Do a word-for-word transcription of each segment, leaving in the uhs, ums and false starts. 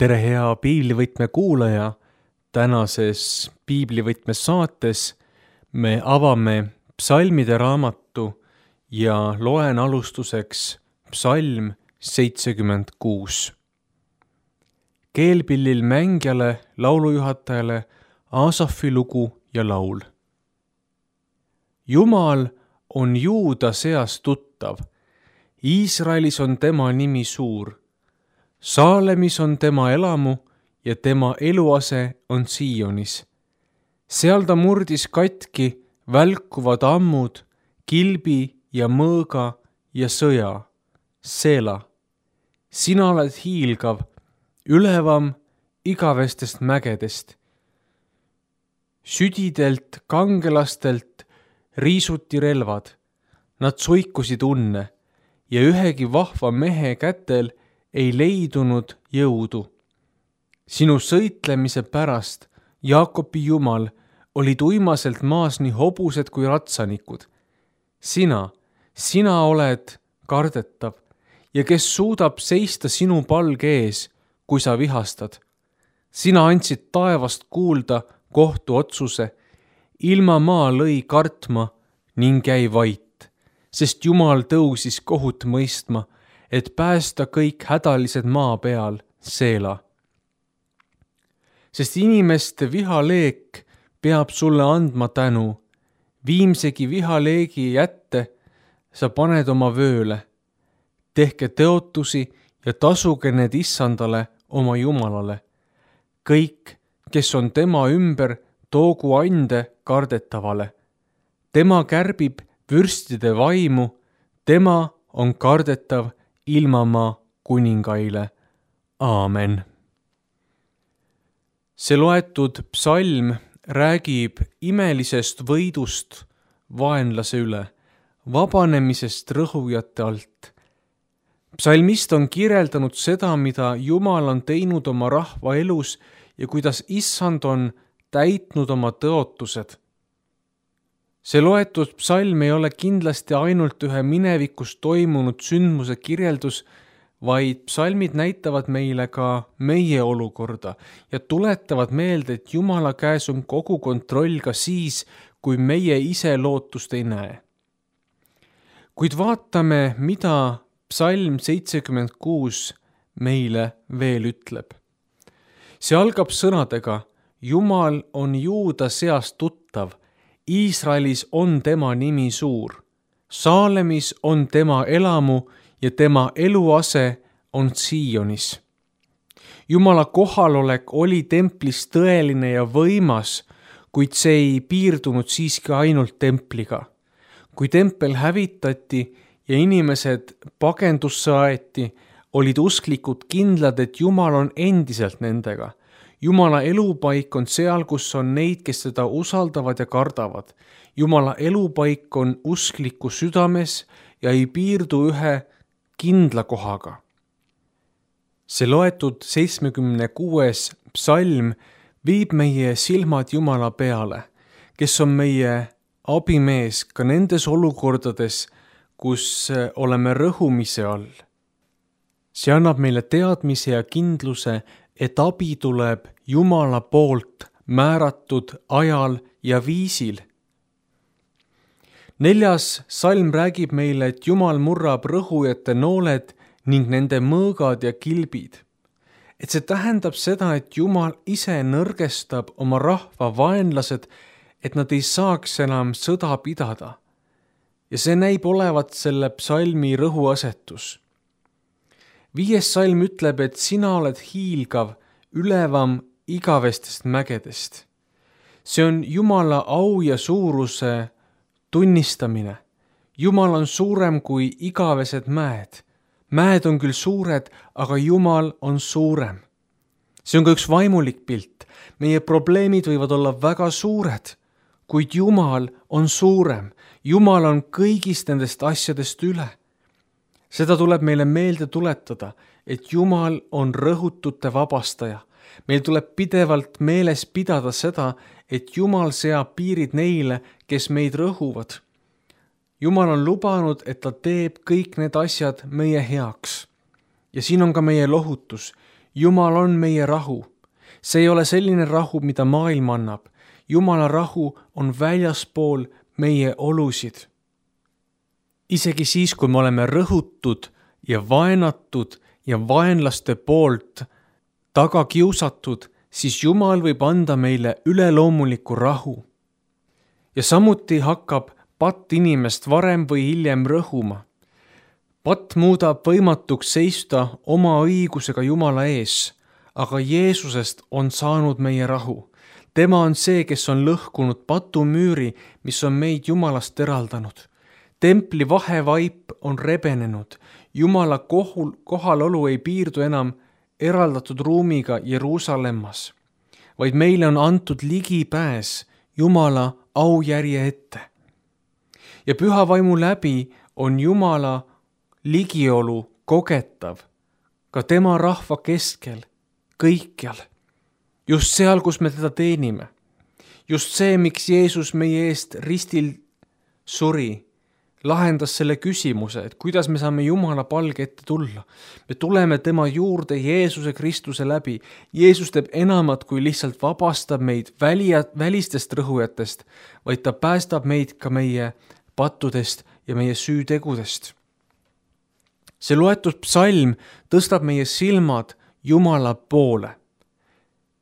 tere, hea piiblivõtme kuulaja! Tänases piiblivõtme saates me avame psalmide raamatu ja loen alustuseks psalm seitsekümmend kuus. Keelpillil mängijale, laulujuhatajale Aasafi lugu ja laul. Jumal on Juuda seas tuttav, Iisraelis on tema nimi suur. Saalemis on tema elamu ja tema eluase on Sionis. Seal ta murdis katki välkuvad ammud, kilbi ja mõõga ja sõja. Seela, sina oled hiilgav, ülevam igavestest mägedest. Südidelt kangelastelt riisuti relvad, nad suikusid unne ja ühegi vahva mehe kätel ei leidunud jõudu. Sinu sõitlemise pärast, Jaakobi Jumal, olid uimaselt maas nii hobused kui ratsanikud. Sina, sina oled kardetav ja kes suudab seista sinu palge ees, kui sa vihastad. Sina andsid taevast kuulda kohtu otsuse, ilma maa lõi kartma ning jäi vait, sest Jumal tõusis kohut mõistma, et päästa kõik hädalised maa peal, Seela. Sest inimeste vihaleek peab sulle andma tänu, viimsegi vihaleegi jätte sa paned oma vööle. Tehke teotusi ja tasuge need issandale oma Jumalale. Kõik, kes on tema ümber, toogu ande kardetavale. Tema kärbib vürstide vaimu, tema on kardetav ilmamaa kuningaile. Aamen. See loetud psalm räägib imelisest võidust vaenlase üle, vabanemisest rõhujate alt. Psalmist on kirjeldanud seda, mida Jumal on teinud oma rahva elus ja kuidas issand on täitnud oma tõotused. See loetud psalm ei ole kindlasti ainult ühe minevikus toimunud sündmuse kirjeldus, vaid psalmid näitavad meile ka meie olukorda ja tuletavad meelde, et Jumala käes on kogu kontroll ka siis, kui meie ise lootust ei näe. Kuid vaatame, mida psalm seitsekümmend kuus meile veel ütleb. See algab sõnadega: Jumal on Juuda seas tuttav, Iisraelis on tema nimi suur, Saalemis on tema elamu ja tema eluase on Sionis. Jumala kohalolek oli templis tõeline ja võimas, kuid see ei piirdunud siiski ainult templiga. Kui tempel hävitati ja inimesed pagendusse aeti, olid usklikud kindlad, et Jumal on endiselt nendega. Jumala elupaik on seal, kus on neid, kes teda usaldavad ja kardavad. Jumala elupaik on uskliku südames ja ei piirdu ühe kindla kohaga. See loetud seitsmekümne kuues psalm viib meie silmad Jumala peale, kes on meie abimees ka nendes olukordades, kus oleme rõhumise all. See annab meile teadmise ja kindluse, et abi tuleb Jumala poolt määratud ajal ja viisil. Neljas salm räägib meile, et Jumal murrab rõhujate nooled ning nende mõõgad ja kilbid. Et see tähendab seda, et Jumal ise nõrgestab oma rahva vaenlased, et nad ei saaks enam sõda pidada. Ja see näib olevat selle psalmi rõhuasetus. Viies salm ütleb, et sina oled hiilgav, ülevam igavestest mägedest. See on Jumala au ja suuruse tunnistamine. Jumal on suurem kui igavesed mäed. Mäed on küll suured, aga Jumal on suurem. See on ka üks vaimulik pilt. Meie probleemid võivad olla väga suured, kuid Jumal on suurem. Jumal on kõigist nendest asjadest üle. Seda tuleb meile meelde tuletada, et Jumal on rõhutute vabastaja. Meil tuleb pidevalt meeles pidada seda, et Jumal seab piirid neile, kes meid rõhuvad. Jumal on lubanud, et ta teeb kõik need asjad meie heaks. Ja siin on ka meie lohutus. Jumal on meie rahu. See ei ole selline rahu, mida maailm annab. Jumala rahu on väljaspool meie olusid. Isegi siis, kui me oleme rõhutud ja vaenatud ja vaenlaste poolt taga kiusatud, siis Jumal võib anda meile üleloomuliku rahu. Ja samuti hakkab patt inimest varem või hiljem rõhuma. Patt muudab võimatuks seista oma õigusega Jumala ees, aga Jeesusest on saanud meie rahu. Tema on see, kes on lõhkunud patumüüri, mis on meid Jumalast eraldanud. Templi vahevaip on rebenenud. Jumala kohul, kohalolu ei piirdu enam eraldatud ruumiga Jeruusalemmas, vaid meile on antud ligipääs Jumala aujärje ette. Ja püha vaimu läbi on Jumala ligiolu kogetav ka tema rahva keskel, kõikjal. Just seal, kus me teda teenime. Just see, miks Jeesus meie eest ristil suri, lahendas selle küsimuse, et kuidas me saame Jumala palge ette tulla. Me tuleme tema juurde Jeesuse Kristuse läbi. Jeesus teeb enamat, kui lihtsalt vabastab meid välia, välistest rõhujatest, vaid ta päästab meid ka meie pattudest ja meie süütegudest. See loetud psalm tõstab meie silmad Jumala poole.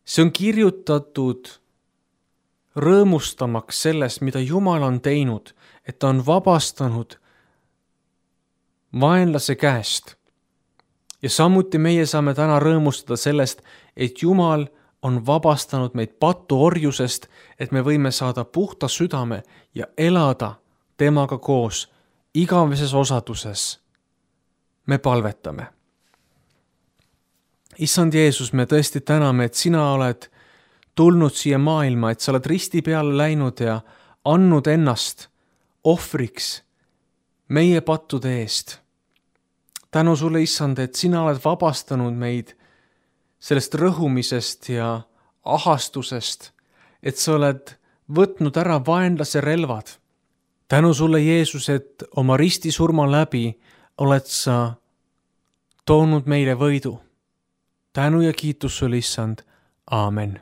See on kirjutatud rõõmustamaks sellest, mida Jumal on teinud, et ta on vabastanud vaenlase käest. Ja samuti meie saame täna rõõmustada sellest, et Jumal on vabastanud meid patuorjusest, et me võime saada puhta südame ja elada temaga koos igaveses osaduses. Me palvetame. Issand Jeesus, me tõesti täname, et sina oled tulnud siia maailma, et sa oled risti peale läinud ja andnud ennast ohvriks meie pattude eest. Tänu sulle, Issand, et sina oled vabastanud meid sellest rõhumisest ja ahastusest, et sa oled võtnud ära vaenlase relvad. Tänu sulle, Jeesus, et oma ristisurma läbi oled sa toonud meile võidu. Tänu ja kiitus sulle, Issand. Aamen.